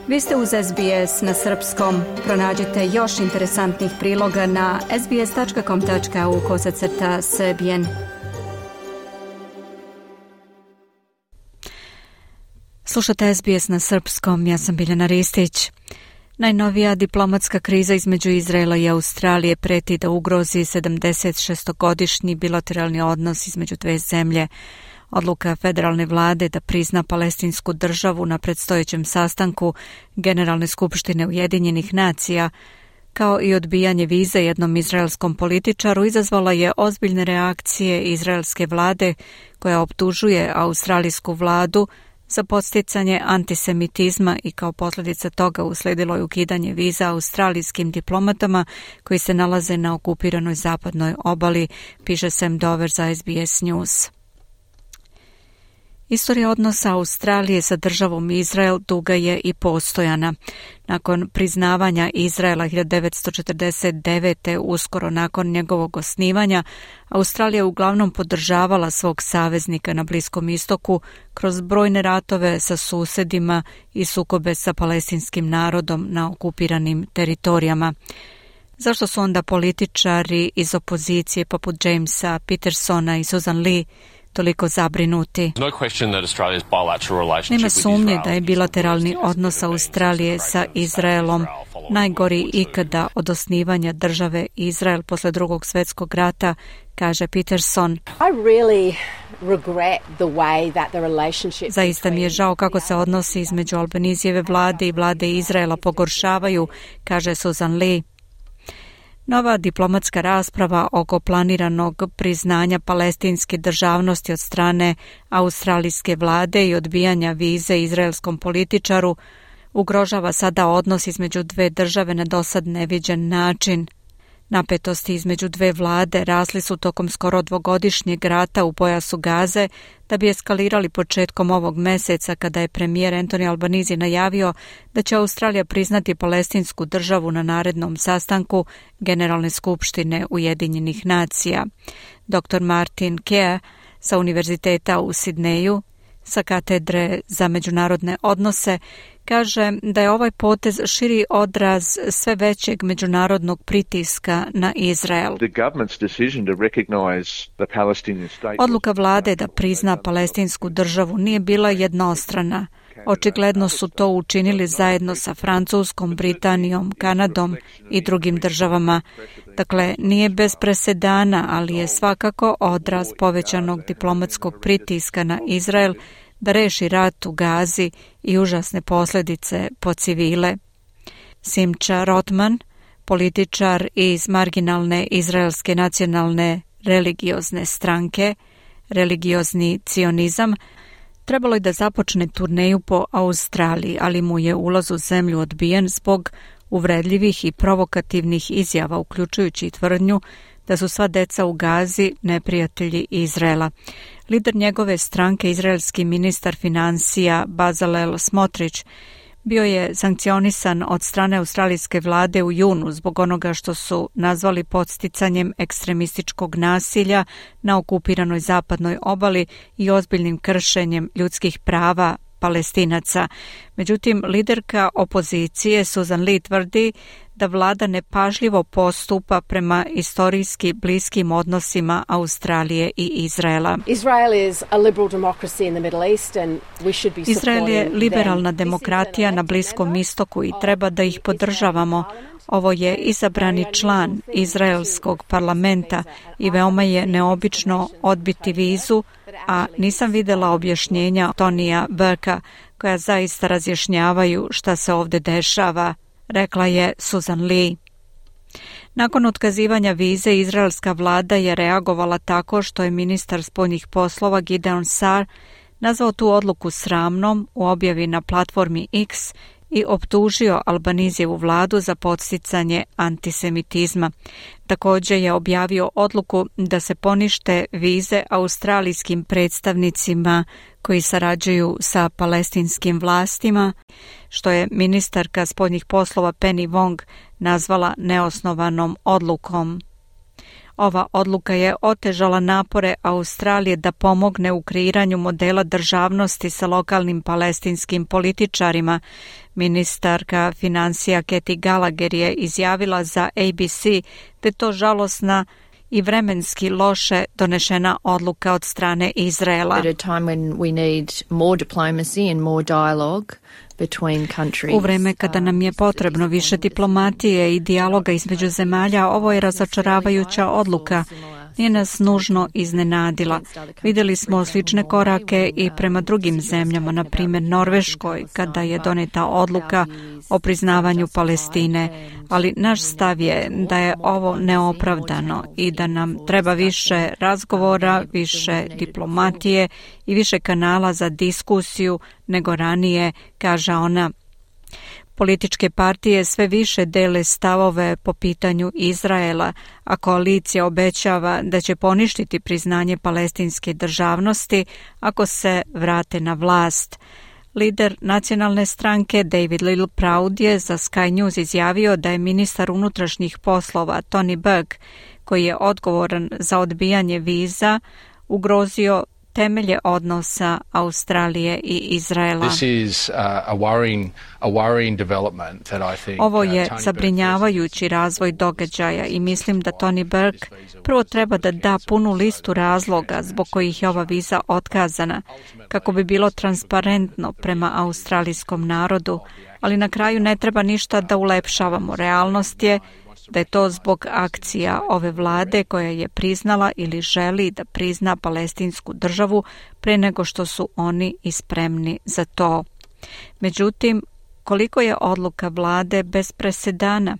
Vi ste uz SBS na srpskom. Pronađite još interesantnih priloga na sbs.com.au/srbijen. Slušate SBS na srpskom, ja sam Biljana Ristić. Najnovija diplomatska kriza između Izraela i Australije preti da ugrozi 76-godišnji bilateralni odnos između dve zemlje. Odluka federalne vlade da prizna palestinsku državu na predstojećem sastanku Generalne skupštine Ujedinjenih nacija, kao i odbijanje vize jednom izraelskom političaru, izazvala je ozbiljne reakcije izraelske vlade koja optužuje australijsku vladu za podsticanje antisemitizma i kao posljedica toga usledilo je ukidanje viza australijskim diplomatama koji se nalaze na okupiranoj zapadnoj obali, piše Sam Dover za SBS News. Istorija odnosa Australije sa državom Izrael duga je i postojana. Nakon priznavanja Izraela 1949. uskoro nakon njegovog osnivanja, Australija uglavnom podržavala svog saveznika na Bliskom istoku kroz brojne ratove sa susedima i sukobe sa palestinskim narodom na okupiranim teritorijama. Zašto su onda političari iz opozicije poput Jamesa Petersona i Susan Lee toliko zabrinuti? Nema sumnje da je bilateralni odnos Australije sa Izraelom najgori ikada od osnivanja države Izrael posle Drugog svjetskog rata, kaže Peterson. Zaista mi je žao kako se odnosi između Albanizijeve vlade i vlade Izraela pogoršavaju, kaže Susan Lee. Nova diplomatska rasprava oko planiranog priznanja palestinske državnosti od strane australijske vlade i odbijanja vize izraelskom političaru ugrožava sada odnos između dve države na dosad neviđen način. Napetosti između dve vlade rasli su tokom skoro dvogodišnjeg rata u pojasu Gaze da bi eskalirali početkom ovog meseca kada je premijer Anthony Albanese najavio da će Australija priznati palestinsku državu na narednom sastanku Generalne skupštine Ujedinjenih nacija. Dr. Martin Kea sa Univerziteta u Sidneju sa katedre za međunarodne odnose kaže da je ovaj potez širi odraz sve većeg međunarodnog pritiska na Izrael. Odluka vlade da prizna palestinsku državu nije bila jednostrana. Očigledno su to učinili zajedno sa Francuskom, Britanijom, Kanadom i drugim državama. Dakle, nije bez presedana, ali je svakako odraz povećanog diplomatskog pritiska na Izrael da reši rat u Gazi i užasne posljedice po civile. Simcha Rotman, političar iz marginalne izraelske nacionalne religiozne stranke, religiozni cionizam, trebalo je da započne turneju po Australiji, ali mu je ulaz u zemlju odbijen zbog uvredljivih i provokativnih izjava, uključujući tvrdnju da su sva deca u Gazi neprijatelji Izraela. Lider njegove stranke, izraelski ministar financija Bezalel Smotrich, bio je sankcionisan od strane australijske vlade u junu zbog onoga što su nazvali podsticanjem ekstremističkog nasilja na okupiranoj zapadnoj obali i ozbiljnim kršenjem ljudskih prava Palestinaca. Međutim, liderka opozicije Susan Lee tvrdi da vlada nepažljivo postupa prema istorijski bliskim odnosima Australije i Izraela. Izrael je liberalna demokratija na Bliskom istoku i treba da ih podržavamo. Ovo je izabrani član izraelskog parlamenta i veoma je neobično odbiti vizu, a nisam videla objašnjenja Tonija Burka koja zaista razjašnjavaju šta se ovdje dešava, rekla je Susan Lee. Nakon otkazivanja vize, izraelska vlada je reagovala tako što je ministar spoljnih poslova Gideon Saar nazvao tu odluku sramnom u objavi na platformi X i optužio Albanesevu vladu za podsticanje antisemitizma. Također je objavio odluku da se ponište vize australijskim predstavnicima koji sarađuju sa palestinskim vlastima, što je ministarka spoljnih poslova Penny Wong nazvala neosnovanom odlukom. Ova odluka je otežala napore Australije da pomogne u kreiranju modela državnosti sa lokalnim palestinskim političarima. Ministarka financija Kathy Gallagher je izjavila za ABC da je to žalosna i vremenski loše donešena odluka od strane Izraela. U vreme kada nam je potrebno više diplomatije i dijaloga između zemalja, ovo je razočaravajuća odluka. Nije nas nužno iznenadila. Vidjeli smo slične korake i prema drugim zemljama, na primjer Norveškoj, kada je doneta odluka o priznavanju Palestine, ali naš stav je da je ovo neopravdano i da nam treba više razgovora, više diplomatije i više kanala za diskusiju nego ranije, kaže ona. Političke partije sve više dele stavove po pitanju Izraela, a koalicija obećava da će poništiti priznanje palestinske državnosti ako se vrate na vlast. Lider nacionalne stranke David Littleproud je za Sky News izjavio da je ministar unutrašnjih poslova Tony Burke, koji je odgovoran za odbijanje viza, ugrozio temelje odnosa Australije i Izraela. Ovo je zabrinjavajući razvoj događaja i mislim da Tony Burke prvo treba da da punu listu razloga zbog kojih je ova viza otkazana, kako bi bilo transparentno prema australijskom narodu, ali na kraju ne treba ništa da ulepšavamo. Realnost je da je to zbog akcija ove vlade koja je priznala ili želi da prizna palestinsku državu pre nego što su oni i spremni za to. Međutim, koliko je odluka vlade bez presedana?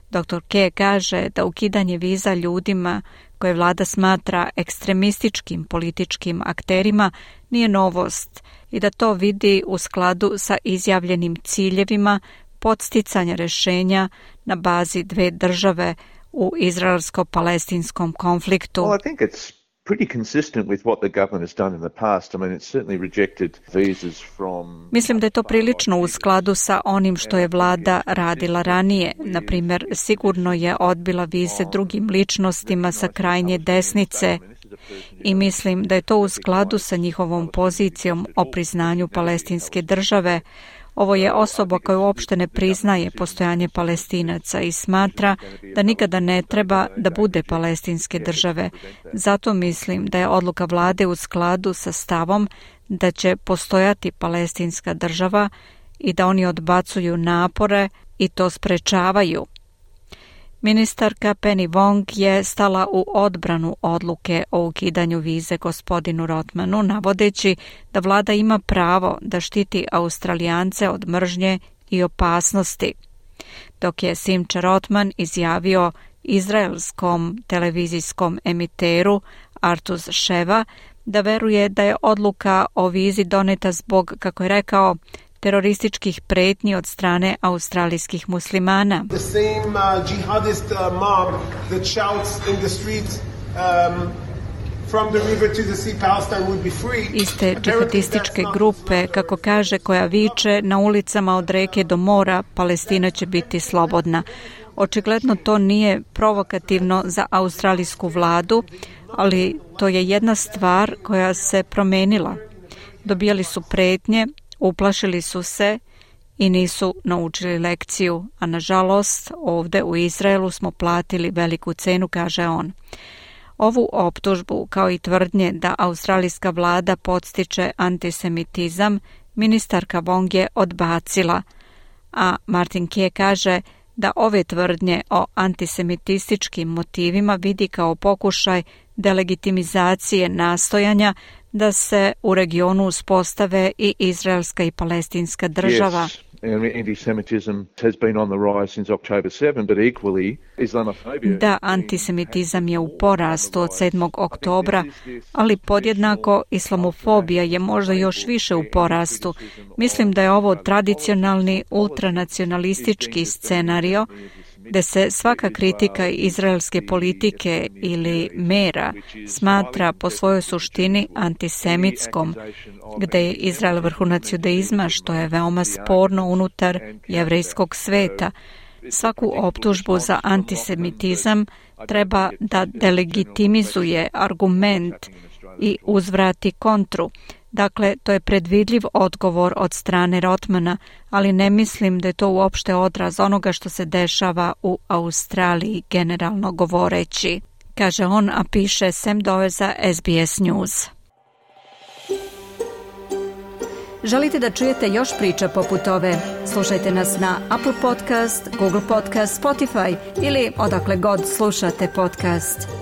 Dr. K. kaže da ukidanje viza ljudima koje vlada smatra ekstremističkim političkim akterima nije novost i da to vidi u skladu sa izjavljenim ciljevima podsticanja rješenja na bazi dve države u izraelsko-palestinskom konfliktu. Well, I think it's pretty consistent with what the government has done in the past. I mean, it's certainly rejected visas from... Mislim da je to prilično u skladu sa onim što je vlada radila ranije. Na primjer, sigurno je odbila vize drugim ličnostima sa krajnje desnice i mislim da je to u skladu sa njihovom pozicijom o priznanju palestinske države. Ovo je osoba koja uopšte ne priznaje postojanje Palestinaca i smatra da nikada ne treba da bude palestinske države. Zato mislim da je odluka vlade u skladu sa stavom da će postojati palestinska država i da oni odbacuju napore i to sprečavaju. Ministarka Penny Wong je stala u odbranu odluke o ukidanju vize gospodinu Rotmanu, navodeći da vlada ima pravo da štiti Australijance od mržnje i opasnosti. Dok je Simcha Rotman izjavio izraelskom televizijskom emiteru Artus Sheva da veruje da je odluka o vizi doneta zbog, kako je rekao, terorističkih pretnji od strane australijskih muslimana. Iste džihadističke grupe, kako kaže, koja viče na ulicama od reke do mora, Palestina će biti slobodna. Očigledno to nije provokativno za australijsku vladu, ali to je jedna stvar koja se promenila. Dobijali su pretnje, uplašili su se i nisu naučili lekciju, a nažalost ovdje u Izraelu smo platili veliku cenu, kaže on. Ovu optužbu, kao i tvrdnje da australijska vlada podstiče antisemitizam, ministarka Wong je odbacila, a Martin Key kaže da ove tvrdnje o antisemitističkim motivima vidi kao pokušaj delegitimizacije nastojanja da se u regionu uspostave i izraelska i palestinska država. Da, antisemitizam je u porastu od 7. oktobra, ali podjednako islamofobija je možda još više u porastu. Mislim da je ovo tradicionalni ultranacionalistički scenario gde se svaka kritika izraelske politike ili mera smatra po svojoj suštini antisemitskom, gde je Izrael vrhunac judaizma, što je veoma sporno unutar jevrejskog sveta. Svaku optužbu za antisemitizam treba da delegitimizuje argument i uzvrati kontru. Dakle, to je predvidljiv odgovor od strane Rotmana, ali ne mislim da je to uopšte odraz onoga što se dešava u Australiji, generalno govoreći, kaže on, a piše Sam Dover za SBS News. Želite da čujete još priča poput ove? Slušajte nas na Apple Podcast, Google Podcast, Spotify ili odakle god slušate podcast.